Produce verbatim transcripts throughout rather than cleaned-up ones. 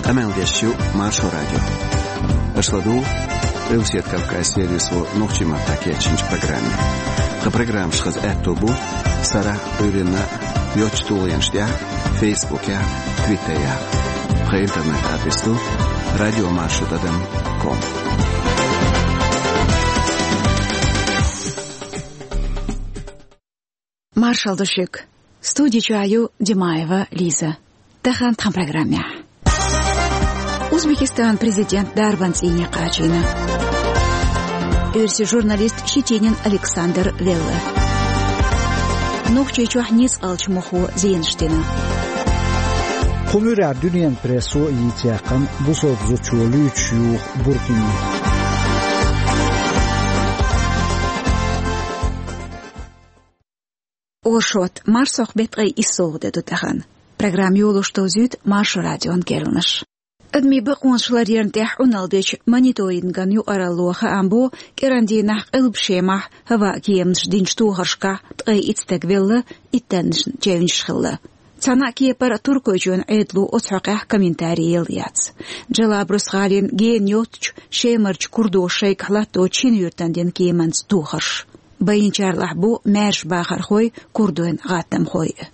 Къамел деш ю Маршо радио. Аша ладугӀу Къилбаседа Кавказан сервисо нохчийн маттахь кечйинчу программе. Тхан программаш хаза аьтто бу сарахь а, Ӏуьйранна а йоцчу тулгӀенаш тӀехь а, Фейсбукехь а, Твиттерехь а. Тхан интернет-адрес ду радиомаршо тӀадам ком. Маршалла ду шуьга. Студи чохь ю Димаева Лиза. Тахана тхан программехь. Узбекистанан президент дарбан цӀийне кхачийна. Оьрсийн журналист Щетинин Александр велла. Нохчийчохь ницкъалчу мохо зенаш дина. Кху муьрехь дуьненан прессо а йийца яьккхина бусалба зудчо луьйчуш юху буркини. Оршот, марсхьокху беттан ткъе иссалгӀа де ду тахана. Программа йолош довзуьйту Маршо радион керланаш. Адамийн бакъонаш ларъярна тӀехь Ӏуналла дечу мониторинган юкъаралло хаам бо, кӀиран дийнахь Къилба Шемахь хӀаваан кеманаш динчу тохаршкахь ткъе итт стаг велла, иттаннашна чевнаш хилла. Цхьана а кепара Туркойчоьнан Ӏедало оцу хьокъехь комментари елла яц. Джалабрус гӀалин гена йоцучу Шемарчу курдо шайгахь латточу шина юьртана дина кеманца тохарш. Байинчарлахь бу маьрша бахархой, курдойн гӀаттамхой а.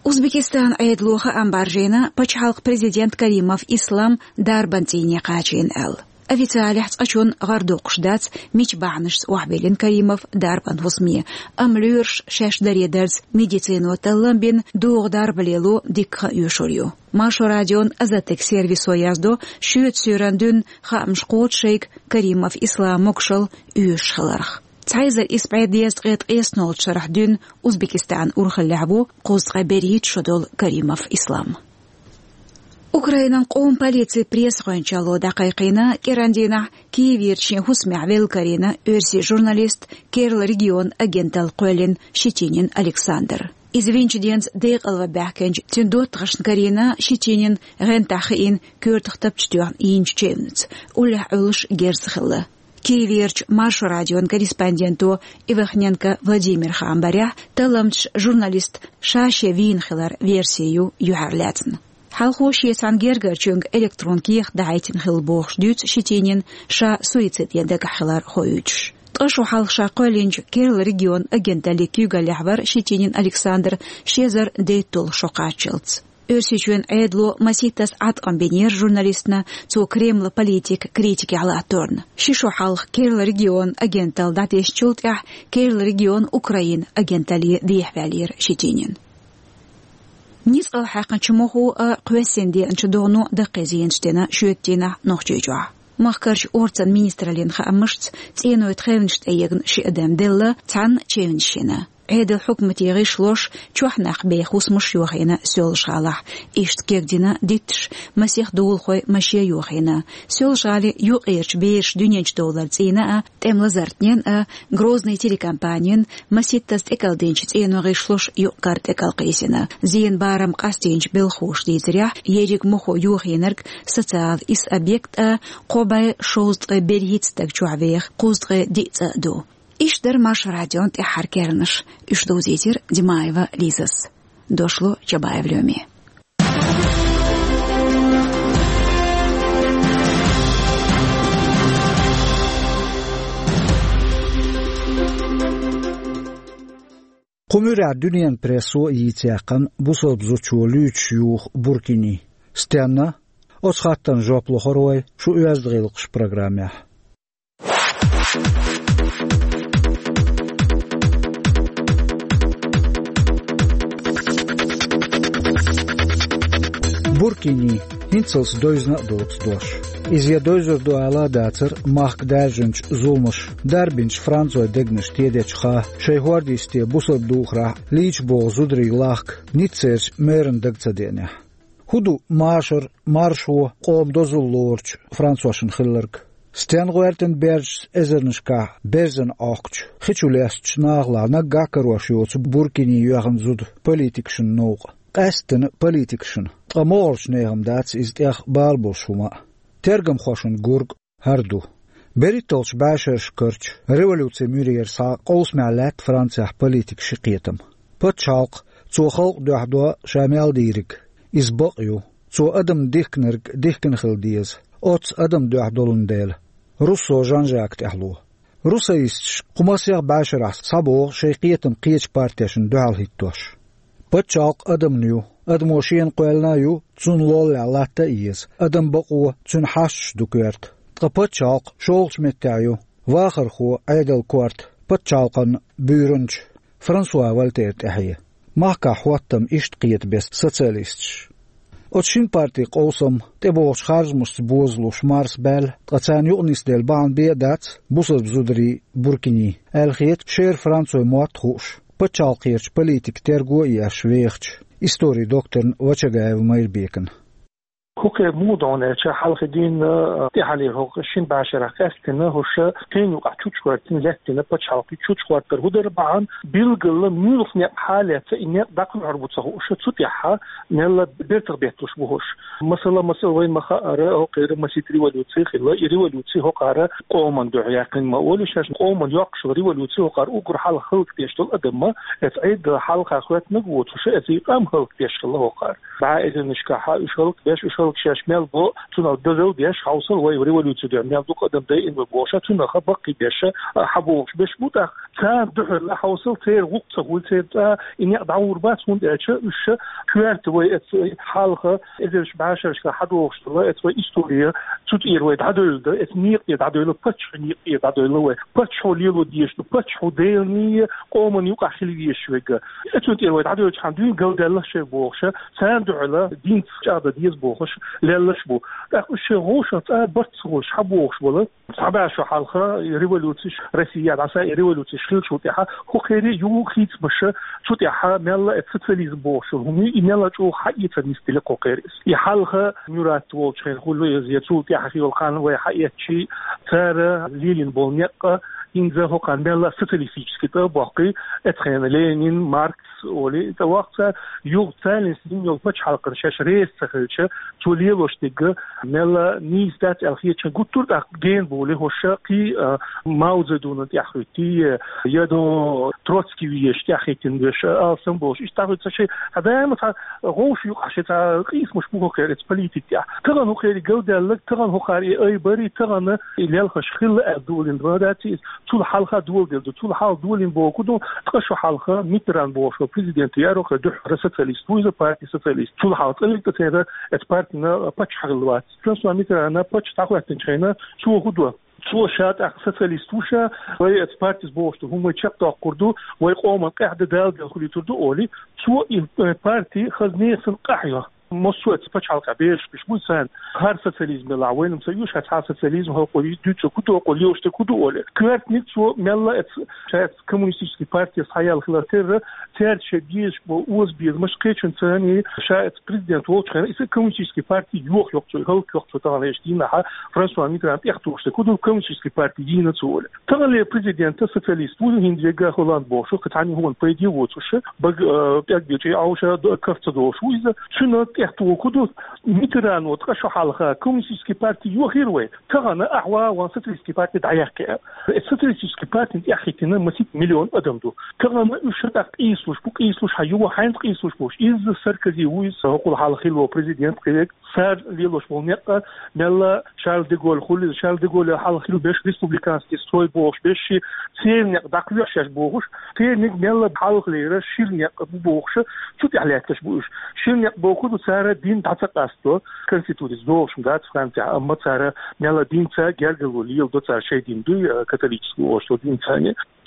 Узбекистанан Ӏедало хаам бӀаржийна пачхьалкхан президент Каримов Ислам дарбан цӀийне кхачийна аьлла. Официалехь цкъачунна гӀар доккхуш дац, мича бахьанашца охьабиллина Каримов дарбан хӀусаме, амма лоьраш шаьш даре дарца медицино таллам бина, догӀу дарба лело дикка хан оьшур ю. Маршо радион «Азаттаг» сервисо яздо, шоьца суьйранна дуьйна хаамаш кхочу шайга Каримов Ислам могушалла оьшуш хиларх. Цхьа эзар исс бӀе дезткъе ткъеснолгӀачу шарахь дуьйна Узбекистанан урхаллехь ву кхузткъе берхӀитта шо долу Каримов Ислам. Украинан къоман полицин пресс-гӀоьнчалло дӀакхайкхийна, кӀиран дийнахь Киеверчу шен хӀусамехь велла карийна оьрсийн журналист, керла регионан агенталла кхоьллина Щетинин Александр. Иза винчу денца декъалван баьхкинчу цуьнан доттагӀашна карийна Щетинин гӀентахь хиъна коьртах тапча тоьхна йинчу чевнца, уллехь Ӏуьллуш герз хилла. Киеверчу Маршо радион корреспонденто Ивахненко Владимира хаам барехь, талламчаша журналист ша-шен вийна хиларан верси ю юьхьарлаьцна. Хьалхо шен цхьана гергарчуьнга электрон кехат дахьийтина хилла бохуш дуьйцу Щетинина, ша суицид ян дагахь хилар хоуьйтуш. Ткъа шо хьалха ша кхоьллинчу керла регионан агенталлин куьйгаллехь вара Щетинин Александр ши эзар дейтталгӀа шо кхаччалц. Оьрсийчоьнан Ӏедало масийттаза Ӏаткъам бинера журналистна, цо Кремлан политикан критикехь латторна. Ши шо хьалха керла регионан агенталла дӀатесначул тӀаьхьа керла регионан Украинан агенталле дехьаваьллера Щетинин. Ницкъалла хьаькхначу мохо а, кхоьссина деанчу догӀано даккхий зенаш дина шоьтан дийнахь Нохчийчохь. Махкарчу орцан министраллин хаамашца, цӀенойн тхевнаш тӀеегна ши адам делла, цхьанна чевнаш йина. Ӏедалан хьукмате гӀишлош чохь нах беха хӀусамаш йохийна Соьлжа-ГӀалахь. Иштта кегдина дитташ масех долахой маше йохийна. Соьлжа-ГӀалин юккъерчу бераша дуьненчу довлар цӀийна а, тӀеман лазартнен а, Грозный телекомпанин масийттаза тӀекӀалдинчу цӀенойн гӀишлош юкъ-кара тӀекӀалкхийсина. Зенан барам къастийначу белхахоша дийцарехь, ерриг мохо йохийнарг социалан исс объект а, кхо бӀе шовзткъе берхӀитта стаг чохь веха кхузткъе диъ цӀа а ду. Иштта дара Маршо радион тӀаьххьара керланаш. Уьш довзийтира Димаева Лизас. Дошло Чабаев Лёме. Кху муьрехь дуьненан прессо а йийца яьккхина бусалба зудчо луьйчуш юху буркини. Стенна? Оцу хаттарна жоп лохур вай шун «Оьзда гӀиллакхаш» программехь. Буркини, хӀинцалц довзийна а доцу дош. Иза я довзур ду ала а дацара махка даьржинчу зуламаша, дарбинчу францойн дегнаш тедечу хан, шайн хӀордисте бусалба духарехь лийча богӀу зударий лахка Ниццерчу мэран дага ца деанехь. ХӀун ду машар, маршо, къоман дозалла лоручу францошна хилларг? Стенна гӀоьртина баьржачу эзарнашкахь берзана Ӏохкучу, хи чу лестачу нахалахь наггахь карош йоцу буркини йоьхна зуда политикашна новкъа? Къаьсттина политикашна, ткъа могӀарчу нехан дац иза тӀех бала болуш хӀума а. Тергамхошна гург хӀара ду. БерхӀитталгӀачу бӀешерашкахь карчу революцин муьрера схьа къовсамехь лаьтта Францехь политикан ши кхетам. Пачхьалкх, цо халкъ дуьхьадо ша мел дийриг, иза бакъ ю. Цо адам дихкинарг дихкина хила деза, оццу адам дуьхьа долун дела. Руссо Жан-Жака тӀаьхьало. Русоисташ кху масех бӀешарахь схьабогӀу шайн кхетам кхечу партешна дуьхьал хӀиттош. Пачхьалкх адамна ю, адамо шена кхоьллина а ю, цунна лоллехь латта а еза, адам бакъо, цуьнан хьашташ ду коьрта. Ткъа пачхьалкх шолгӀачу меттехь ю, вахархо, Ӏедал корта, пачхьалкхан буьйранча Франсуа Вольтера тӀаьхье. Махкахь хӀоттам иштта кхета беса социалисташ. Оцу шина партийн къовсам тӀебогӀучу харжамашца бозалуш марсабаьлла, ткъа царна юкъа нисделла бахьана бен а дац бусалба зударий, буркиний, аьлла хета шера Францойн мотт хууш, пачхьалкхерчу политикан терго а еш вехачу историн докторна Вачагаев Майрбекана. ХӀокхеран муха ду аьлча, хьалха дийнна тӀаьхьалера хӀокху шина бӀешарахь къаьстина хӀорш шайна юкъахь чучухӀоьттина лаьттина пачхьалкх. И чучухӀоттар хӀун дара бахьана, билггала муьлха некъ хьалаьцна и некъ дӀакхоьхьур бу ца хууш, цу тӀехь мелла бертах бетталуш бу хӀорш. Масала, масала, вайна ма-хаъара, хӀокхеран масийтта революци хилла. И революци хӀокхара къоман дуьхьа яьккхина ма олий, шаьш къоман йоккхуш йолу революци хӀокхара уггар хьалха хӀаллакдеш долу адам, эцу Ӏедалан хьалха хӀоьттинарг воцуш, эцу и къам хӀаллакдеш хилла хӀокхара. БӀе эзарнашкахь уьш хӀаллакбеш, уьш хӀаллакшеш мел бо, цунах дозалла деш, хьовсал вай революци дуьхьа мел дукха адам дайина вай бохуш, цунах баккхийбеш, хьабогӀуш берш бу тӀаккха. Царна дуьхьал хьовсал, церан гӀуллакх ца хуьлу, церан цӀа и некъ дӀагӀур бац, хӀунда аьлча уьш коьрта вай эцу хьалха эзарнаш бӀешерашкахь хьадогӀуш долу эцу вай истори, цу тӀера вай дӀадевлла дан, эцу некъа тӀера дӀадевлла, паччахьан некъа тӀера дӀадевлла вай. Паччахьо лело дезаш ду, паччахьо Делан, къоман юкъахь хила везаш верг. Эцунна тӀера вай дӀадевлчхьана дуьйна галдаьлла шайн бохуш, царна дуьхьал динца чӀагӀдан деза бохуш, лелларш бу. ТӀаккха уьш шайн гӀовшах цӀа барт ца хуьлуш хьабогӀуш бала. Цхьа бӀе шо хьалха и революцеш Россехь дӀаса, и революцеш хиллачул тӀаьхьа хӀокхеран юха хийцамаш, цу тӀаьхьа мелла а социализм бохуш йолу хӀума ю, и мелла а чӀогӀа хьаэца нисделла кхокхер иза. И хьалха Мюрат волчу хенахь хуьлу иза, я цул тӀаьхьа йолу хан вай хьаэцчи, цара лелийна болу некъ, хӀинца хӀокхарна мелла а социалистически тӀе а боккхий, эцу хенахь Ленин, Маркс олий, тӀе воккху цара, юха царна дина йолу пачхьалкхана шаьш реза ца хилча, цо лелош дерг мелла нийса дац аьлла хетачун гуттар а тӀаккха гена болий хӀорш кхин а, Мао Цзэдунна тӀаьхьахӀиттий, я до Троцкий везаш тӀаьхьахӀиттина веш, алсам болуш. Иштта дӀахӀуьтту цхьа шайн, цхьа даима цхьа гӀовшийн юкъахь шайн цхьа къийсамаш бу хӀокхеран эцу политика тӀехь. Тахана хӀокхеран галдаьлларг, тахана хӀокхара и айбарий, тахана и лелхаш хилла аьлла долийна ма дац иза. Цул хьалха доладелла ду. Цул хьалха долийна бохург ду, ткъа шо хьалха Миттеран бохуш волу президент яра, хӀокхеран дуьххьара социалист ву иза, партин социалист. Цул хьалха цкъа-м церан эцу партина паччахь хилла вац. Франсуа Миттерана паччахь дӀахӀоьттинчу хенахь цо хӀун до? Цо ша тӀаккха социалист ву ша, вай эцу партис бохуш ду, хӀума вай чекхдоккхур ду, вай къоман къаьхьа дан Дала дела хуьлуьйтур ду олий, цо и, э, парти хаза нехан къахьоьху. Массо а эцу пачхьалкхехь бераш беш буй царна. ХӀара социализм белахь, вайна ца оьшу хӀара цхьа социализм, хӀокхо дуьйцург хӀун ду, хӀокхо лелош дерг хӀун ду олий. Коьртаниг цо мелла а эцу, ша эцу коммунистический партес схьаяьлла хилар терра, цаьрца шайн безаш болу озабезамаш кхечун царний ша эцу президент волчу хенахь, иза коммунистический парти йохайо цо, хӀаллакйо цо тахана эшна дийнахь, Франсуа Миттеран тӀехтухуш дерг хӀун ду, коммунистический парти йийна цо олий. Таханлера президент социалист ву, хӀинца вегга Холланд бохуш, кхин цхьанна хӀуманна пайде а воцуш, бага, э, пӀелг бечу Ӏовша до-, каф ца долуш ву иза. Цуьнан тӀехтухург хӀун ду, Миттерано ткъа шо хьалха коммунистический парти йохийра вай. Тахана ахьа ван социалистический парти дӀаяккхи. Э, социалистический партина тӀаьхьахӀиттина масийтта миллион адам ду. Тахана уьш тӀаккха къийсалуш бу, къийсалуш хьан юха хьаьнца къийсалуш бу уьш. Иза Саркози ву иза, хӀокхул хьалха хилла ву президент кхин вег. Цара лелош болу некъ, мелла Шарль де Голль хуьлу иза, Шарль де Голль хьалха хилла берш республиканский строй бохуш берш, церан некъ дӀакхоьхьуш шаьш бохуш, церниг мелла хьалхалера шира некъ бу бохуш, цу тӀехь лаьтташ бу уьш. Шира некъ бохург ду цара дин дӀа ца къасто, конституцица догӀуш ма дац Францехь, амма цара мелла динца гергарло леладо, цара шайн дин дуй, э, католический олуш долу динца.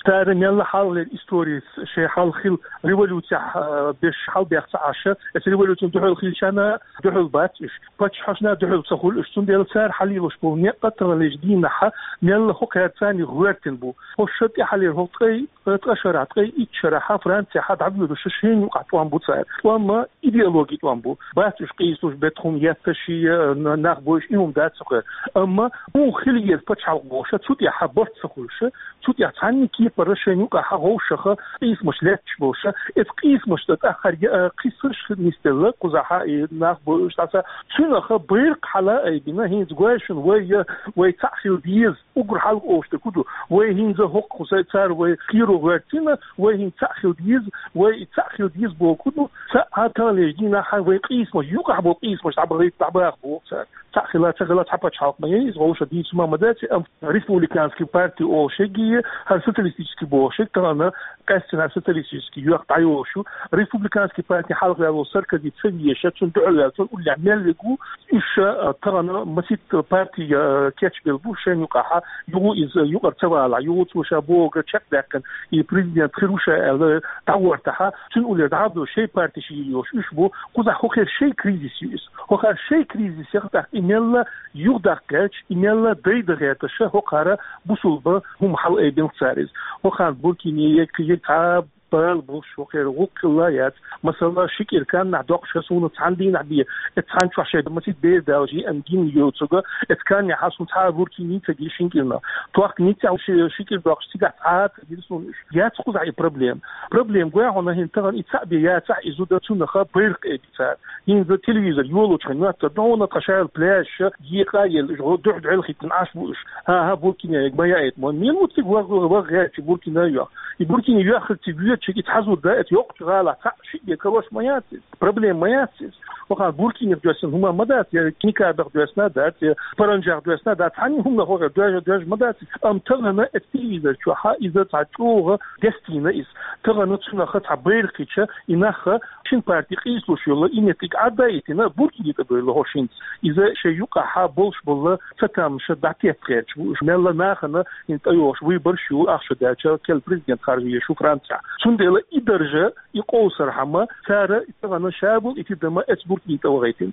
Цара мелла хьалхалера историс шайн хьалха хилла революцехь, а, берш хьалабаьхна ца Ӏаш, эцу революцина дуьхьал хилчарна дуьхьал бац уьш, паччахьашна дуьхьал ца хуьлу уьш. Цундела цара хьалелош болу некъ таханлерчу дийнахь мелла хӀокхаьрца царна гӀоьртина бу. ХӀорш тӀаьхьалера хӀокху ткъе, ткъа шарахь, ткъе итт шарахь Францехь дӀавоьдуш шайна юкъахь тӀом бу цара. ТӀом ма идеологин тӀом бу. Бац уьш къийсалуш, бетта хӀума етташ, э, нах бойуш, и хӀума дац цу хьокъехь. Амма хӀун хила еза пачхьалкх бохуш, цу тӀехь барт ца хуьлуш, цу тӀехь цхьаннега Пара шайна юкъахьа гӀовшаха къийсамаш лаьтташ болуша, эца къийсамаш тӀа тӀаккха хьарга, а, кхиссарш нисделла, кхузахьа и нах бу уьш дӀаса. Цуьнаха байракх хьала айбина, хӀинца гой шуна вай, я, вай цхьаъ хила деза, уггар хьалха олуш дерг хӀун ду, вай хӀинца хӀокху кхуза цара вай кхеро гӀоьртина, вай хӀинца цхьаъ хила деза, вай и цхьаъ хила деза бохург хӀун ду, цхьаъ таханлерчу дийнахьа вай къийсамаш, юкъахь болу къийсамаш дӀабахийта, дӀабаха боху цара. Цхьаъ хила, ца хила, цхьа пачхьалкх ма яй иза, гӀовша дийца хӀума ма дац, амма республиканский парти олуш ерг а, хӀара социалистический бохуш ерг а тахана къаьстина социалистический йоьхна дӀайолуш ю. Республиканский парти хьалха ваьлла волу Саркози ца везаш, цунна дуьхьал ваьлла, цунна уллехь мел верг ву, уьш, а, тахана масийтта парти, а, кечбелла бу шайна юкъахьа, юха иза юкъара ца валахь, юха цо ша бохург чекхдаьккхина, и президент хир ву ша аьлла, дӀагӀортахьа, цуьнан уллера дӀа а бевлла, шайн парти шиъ йолуш уьш бу, кхузахь хӀокхеран шайн кризис ю иза. ХӀокхара шайн кризисех тӀаккха и мелла юхадаккха гӀерташ, и мелла дайда гӀерташ, хӀокхара бусулба хӀума хьала айбина цара иза. ХӀокхарна Буркине ерг, кхин ерг цхьа бала болуш хӀокхеран гӀуллакх хилла яц. Масала, ши кӀира каннахь доккхуш суна цхьана дийнахь бен, эца цхьана чохь шайн масийтта бер далаш, и ан гин йоцург, эца каннехьа суна цхьа а Буркине ца гира шина кӀирнах. Тохка ницкъ ши, ши кӀира доккхуш цигахь цхьа а ца гира суна уьш. Яц кхузахь и проблема. Проблема гой хьуна хӀинца тахана и цхьаъ бен яцахь, и зуда цунаха байракх айбина цара. ХӀинца телевизор йолучу хенахь моьттур ду хьуна тхан шайла пляжаш, екъа а елла, уьш гӀо-, дуьхьа-дуьхьал хӀиттина Ӏаш бу уьш. ХӀан-хӀа, Буркине ерг ма яийта ма. Мила ву цига ваха, ваха гӀерташ Буркине йоьхна. И Буркине йоьхнарг цига воьдуш, и цхьа зуда, эца йоккхачу гӀалахь цхьаъ шиъ бен карош ма яц иза. Проблема ма яц иза. ХӀокхарна Буркинех доьссина хӀума ма дац, я Никабех доьссина дац, я Паранжах доьссина дац, цхьанна хӀуманах хӀокхеран доьжна, доьжна ма дац иза. Амма тахана эца телевизор чохьа иза цхьа чӀогӀа дестийна иза. Тахана цунаха цхьа байракх хилча, и нах шина парти къийсалуш йолу, и меттиг Ӏадда а йитина, Буркине тӀе бевлла хӀорш хӀинца. Иза шайн юкъахьа болуш болу цатамаша дӀатетта гӀерташ бу уьш. Мелла нахана хӀинца тӀейогӀуш выбораш ю, ахча даьлча, керла президент харжа везаш ву Францехь. Цундела и даржа, и къовсархьама, цара тахана ша болу и тидама эца Буркине тӀе вахийтина.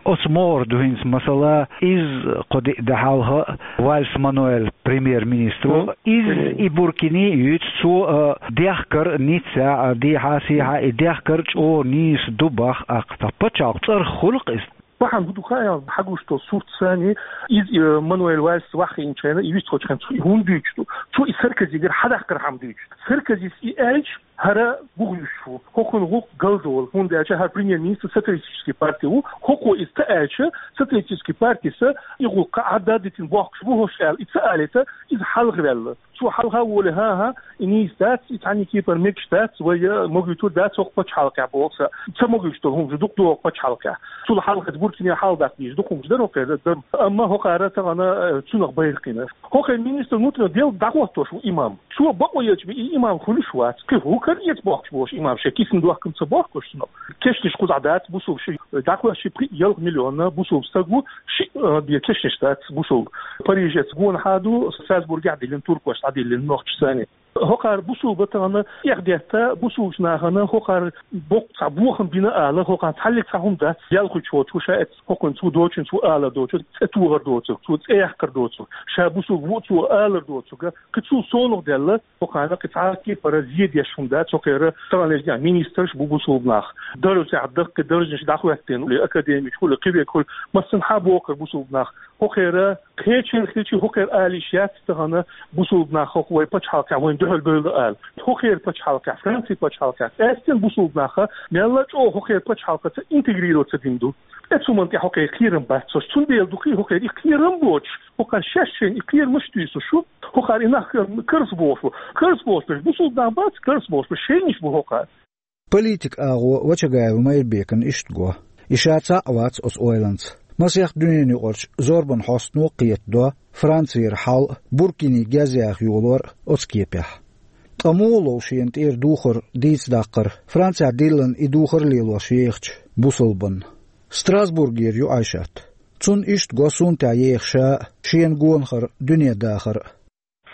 Оцу могӀара ду хӀинца, масала, иза кхо-диъ де хьалха Вальс Мануэль премьер-министр ву. Мгм. Иза и Буркине а юьйцу, цо, а, дехкар Ниццехь, а, дехьа-сехьа и дехкар чӀогӀа нийса ду боху, тӀаккха пачхьалкх цӀарах хуьлу-кх иза. Бахьана хӀун ду хаьий, хьан гуш долу сурт санна, иза, э, Мануэль Вальс ваххийначу хенахь, и вистхуьлучу хенахь цо и хӀунда дуьйцуш ду? Цо и Саркозигара хьадаккхархьама дуьйцуш ду. Саркозис и аьлча, хӀара гугӀуьйсуш ву. ХӀокхуьнан гӀуллакх галдолу, хӀунда аьлча хӀара премьер-министр социалистический парти ву. ХӀокхо иза ца аьлча, социалистический партис и гӀуллакх Ӏадда а дитина бохкуш бу хӀорш аьлла, и ца алийта, иза хьалхаваьлла. Цо хьалха а волий, хӀан-хӀа, и нийса дац, и цхьанна кепара мегаш дац, вай могуьйтур дац хӀокху пачхьалкхехь боху сан. Ца могуьйтуш долу хӀумнаш дукха ду хӀокху пачхьалкхехь. Цул хьалха Буркине хьалдаккха дезаш дукха хӀумнаш дара хӀокхеран, амма хӀокхара тахана, э, цунах байракх йина. ХӀокхеран министр внутренних дел дӀахӀоттош ву имам. Цо бакъо елча бен и имам хуьлуш вац. Кхин хӀун кара эца бохкуш болуш имам, шайн кисана дохкам ца бохкуш цунах. Кешнаш кхузахь дац бусулба ши, дӀахӀоьттича пхи-ялх миллион бусулба стаг ву, ши, э, бен кешнаш дац бусулба. Парижехь гонахьа ду, Страсбургехь диллина, туркоша дӀадиллина нохчашца санна. ХӀокхара бусулба тахана эхь детта, бусулбачу нахана хӀокхара боккха цхьа бохам бина ала, хӀокхарна цхьаллиг цхьа хӀума дац, ял хуьлуш воцуш, ша эцна хӀокхуьнан цо доцучун цо алар доцург, цӀе тухар доцург, цо цӀе яккхар доцург, ша бусулба ву а цо алар доцург, кхин цул совнах даьлла, хӀокхарна кхин цхьа кепара зе деш хӀума дац, хӀокхеран таханлерчу дийнахь министраш бу бусулба нах. Даржехь даккхий даржаш дӀахӀоьттина, академикаш хуьлий, кхин верг хуьлий, массанхьа боккхура бусулба нах. ХӀокхеран кхечанхилчи хӀокхеран ала йиш яц тахана бусулба нах хӀокху вай пачхьалкхехь вайна дуьхьал бевлла ала. ХӀокхеран пачхьалкхехь, Францин пачхьалкхехь, къаьсттина бусулба нах мелла а чӀогӀа хӀокхеран пачхьалкхаца интегрироваться дина ду. Эцу хӀуманна тӀехь хӀокхеран кхерам бац цо. Цундела ду-кх и хӀокхеран и кхерам боцуш, хӀокхара шаьш шайна и кхерамаш туьйсуш шу, хӀокхара и нах карс бохуш бу. Карс бохуш берш бусулба нах бац, карс бохуш берш шайнаш бу хӀокхара. Политикан агӀо Вачагаев Майрбекана иштта го. И ша цхьаъ вац оцу ойланца. Масех дуьненаюкъарчу зорбан хьостано а кхетадо Францера хьал а, Буркине гезъяха йолор а оцу кепехь. Ткъа муха лов шена тӀера духар дийца даккхар, Францехь диллина и духар лелош ехачу бусулбанна? Страсбургера ю Айшат. Цунна иштта го суна тӀехь еха ша а, шена гонахара дуьне дахар а.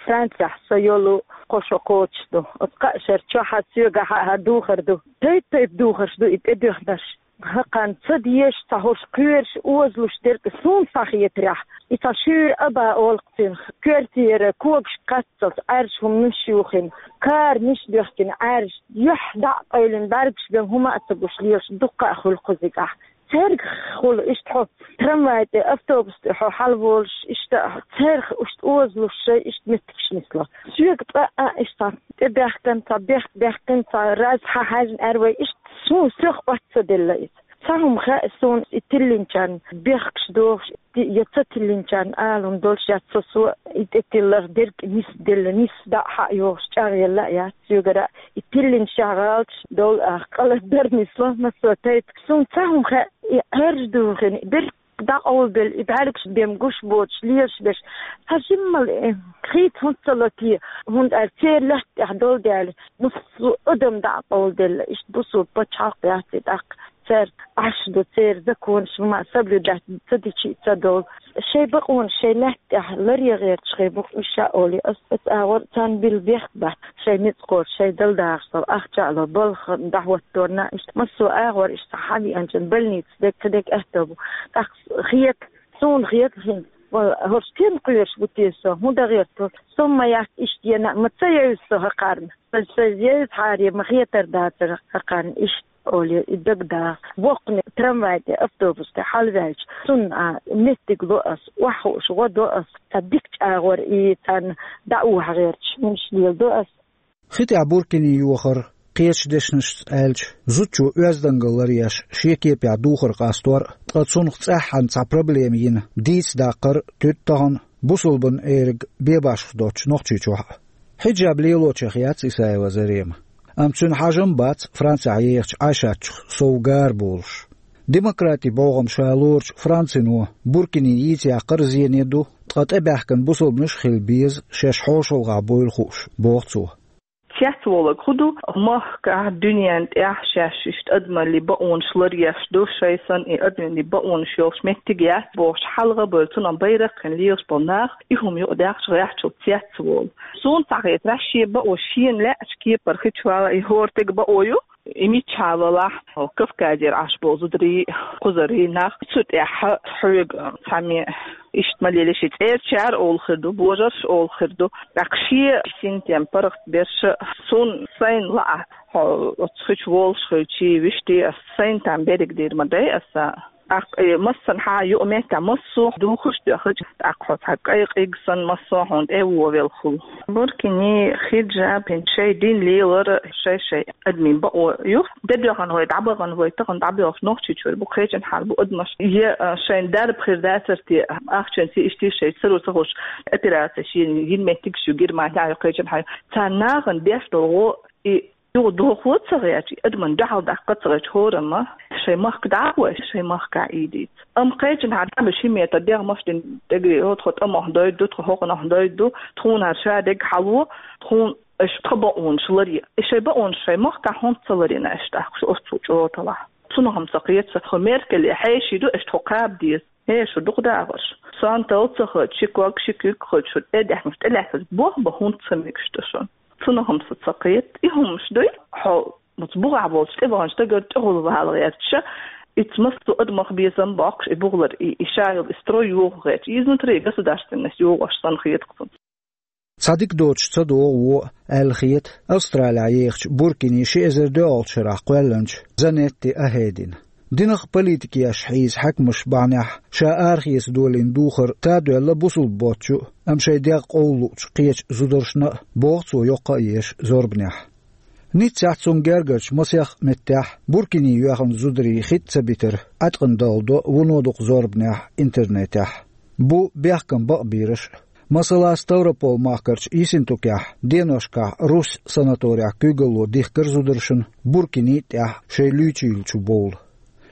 Францехь со йолу кхо шо кхочуш ду. Оцу кхаа шарахь чохь а, соьгахь а хӀара духар ду. Тайп-тайпа духарш ду и тӀедоьхнарш. ХӀокхарна ца дезаш, цхьа хӀорш кхоьруш, озалуш дерг а суна схьахетарехь, и цхьа шуьйра аба олу-кх цунах. Коьртера когаш кхаччалц, Ӏаьржа хӀуманаш юхийна, каранаш доьхкина Ӏаьржа, юьхь дӀа а къевлина, бӀаьргаш бен хӀума а ца гуш лелаш дуккха а хуьлу кхузигахь. Цаьрга хула иштта хьо трамвай тӀе, автобус тӀе хьо хьалаволуш, иштта цаьрга иштта озалуш шайн иштта меттигаш нисло. Соьга цкъа а иштта тӀебаьхкина, цхьа бехк баьккхина, цхьа раз хьахьаьжна аьрру вай, иштта суна сох оццаделла иза. Цхьа хӀума хаьа суна, и тиллинчарна бехкаш дохуш, я ца тиллинчарна ала хӀума долуш яц со, со и тӀетиллар дерг нисделла, нисса дӀа а хьа а йохуш чӀагӀъелла а яц соьгара, и тиллинчарна гӀалаташ долу а къа лардар нисло массо а тайпа. Суна цхьа хӀума хаьа, и Ӏаьржа духина, берг дӀакъовлабелла, и бӀаьргаш бен гуш боцуш, лелаш берш, цхьа жиммал, э, хийца хӀунда ца ло те, хӀунда аьлча церан лаьтта тӀехь долу даьлла, массо а адам дӀакъовладелла, иштта бусулба пачхьалкх яц и тӀаккха. Церан Ӏаш ду, церан законаш ма соблюдать ца дичи а ца долу. Шайн бакъонаш шайн лаьтта тӀехь ларъян гӀерташ хир бу-кх уьш, ша олий ас, аса агӀор царна билла бехк бац. Шайн ницкъ кхочуш, шайн дала дагӀаш долу ахча а ло, балха дӀахӀотторна, иштта массо а агӀор иштта хьавеанчун больница дерг, кхидерг аьтто бу. ТӀаккха хета, суна хета хӀинца, вала, хӀорш стенна кхоьруш бу те со, хӀун дан гӀерта? Со ма яц иштта яна, ма ца евза со хӀокхарна. Сан, сан евза хьаре ма хетар дацара хӀокхарна иштта. Оле, и дагадогӀу. Воккхане трамвай тӀе, автобус тӀе хьалаваьлча, цунна а меттиг ло ас, охьахууш гӀо до ас, цхьа дика чӀагӀор и царна дӀаухьа гӀерташ хӀумаш леладо ас. Хи тӀехь Буркини йохар, кхечу дешнашца аьлча, зудчо оьздангалла ларъеш шен кепехь духар къастор а, ткъа цунах цӀеххьана цхьа проблема йина дийца даккхар а туьду тахана бусулбанан эраг бен башха доцучу Нохчийчохь а. Хьиджаб лелочех яц Исаева Зарема. Амма цуьнан хьажам бац Францехь ехачу Ӏайшатчух сов гара болуш. Демократин бӀогӀам ша лоручу Францино Буркини йийца яккхар а зене ду, ткъа тӀебаьхкина бусулбанаш а хила беза, шаьш хьошалгӀахь буйла хууш, боху цо. Цецволург хӀун ду, махкахь, дуьненна тӀехь шаьш иштта адамаллин бакъонаш ларъеш ду, шайн санна и адамаллин бакъонаш йолуш меттиг яц бохуш, хьалха а бевлла, цунах байракх а хиъна лелаш болу нах, и хӀума юкъадаьхча гӀеххьачул цецволу. Суна цхьа хетарехь, шен бакъо шена лаьачу кепара хи чу вала, и хӀора стеган бакъо ю, и миччахьа валахь, Кавказера Ӏаш болу зударий, кхузарий, нах, цу тӀехь хьоьга цхьаммо иштта ма лелийша, цӀерачара олу хир ду, божарша олу хир ду. ТӀаккха шен синтем паргӀатберш, суна сайна лаахь, хьо оцу хи чу волуш хилча, вуьшта ас сайна там берриг дийр ма дай аса. ТӀаккха, э, массанхьа юкъаметтехь массо а духуш а доьхча, тӀаккха хьо цхьа кӀайкъиг санна массо а хьуна тӀе а вовелла хуьлу. Буркини, хиджаб, хӀинца шайн дин лелар а шай-шайн адамийн бакъо ю. Де доьгӀна вай, дӀабахана вай, тахана дӀабоьлхуш Нохчийчуьра бу, кхечанхьара бу адамаш. Я, э, шайн дарба хир дацара те, ахчанца иштта шайн саро ца хууш, операци шена йина меттигаш ю Германехь а, кхечанхьа а. Царна нахана деш долу гӀо и юха дохо ца гӀерташ, адамна дуьхьал даккха ца гӀерташ, хӀораммо шайн махка дӀа а гӀой, шайн махкахь Ӏийдийца. Амма кхечанхьара дӀа а беш, хӀинца метта дегӀ маш дина, дегӀе, хӀо тхо тӀамах дойту, тхо хӀокхунах дойту, тхуна хӀара ша дерг хьало, тхуна аша тхан бакъонаш ларъе. И шайн бакъонаш шайн махкахь хӀунда ца ларйина аша тӀаккха шу оццул чӀогӀа талахь? Цунах-м ца кхета, тхо Меркеле хьеший ду, аша тхо кхаба деза. ХӀей, шу дукха дагӀарш. Сан тал ца хаа, ши ког, ши куьг хаа, шу тӀе даьхкинчу тӀелаьцначу бохба хӀунда ца мегаш ду шуна? Цунах-м сан ца кхета. И хӀумаш дуй, хьо оцу бухахь болчу тӀеваханчу стагара тӀехула вала гӀерташ, ицца массо а адамах безам боккхуш, и бухалар, и, и ша йолу и строй йоху гӀерташ, изнутри государственность йохош санна хета-кх цунна. Цхьа дика доцуш ца догӀу вон а аьлла хета Австралехь ехачу Буркини ши эзар доьалгӀачу шарахь кхоьллинчу Занетти Ахедина. Динах а, политикех а хьийза хьаькамаш бахьанехь ша арахеца долийна духар тадоьлла бусулба боцчу а, амма шайн дегӀ къовлалуучу кхечу зударшна а, боху цо, йоккха а еш зорбанехь. Ниццехь, цунна гергарчу масех а меттехь Буркини йоьхна зударий хи тӀе ца битар Ӏаткъана далла до вуно дукха зорбанехь интернетехь. Бу бехкан бакъбийраш а. Масала, Ставрополь-махкарчу Ессентукехь деношкахь Русь санаторехь куьйгалло дихкира зударшна Буркини тӀехь шайн луьйчийлачу бовла.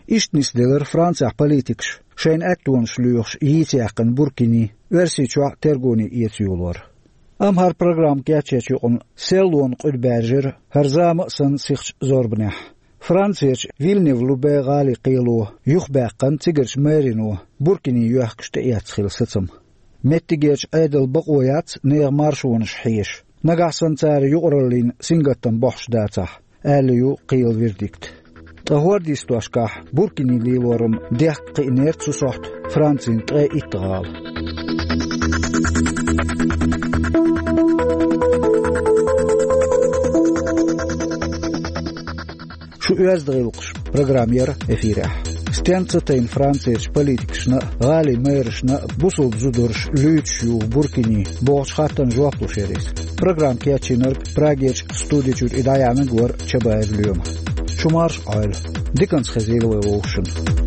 Иштта нисделира Францехь политикаш, шайна аьттонаш лоьхуш йийца яьккхина Буркини, Оьрсийчохь а тергоне эца йолор. Амма хӀара программа кечъечу юкъана серлонан къуьда баьржира хӀара зама а санна сихачу зорбанехь. Францерчу Вильнев-Лубе гӀалин кхело юхабаьккхина цигарчу мэрино Буркини йоьхкуш тӀеэцна хилла сацам. Меттигерчу Ӏедалан бакъо яц нехан маршонаш хьеша, нагахь санна цара юкъараллин сингаттам бохьуш дацахь, аьлла ю кхелан вердикт. Ткъа хӀордан йистошкахь Буркини лелоран дехка кхиънера цу сохьта Францин ткъе итт гӀала. Шу оьзда гӀиллакхаш программа яра эфирехь. Стенна ца тайна Францерчу политикашна а, гӀалин мэрашна а бусалба зудараш луьйчуш юха Буркине бохучу хаттарна жоп луш яра иза. Программа кечйинарг Прагерчу студи чуьра и дӀаяьхьнарг вара Чабаев Лоьма. Шу марша Ӏойла. Диканца хезийла вай вовшашна.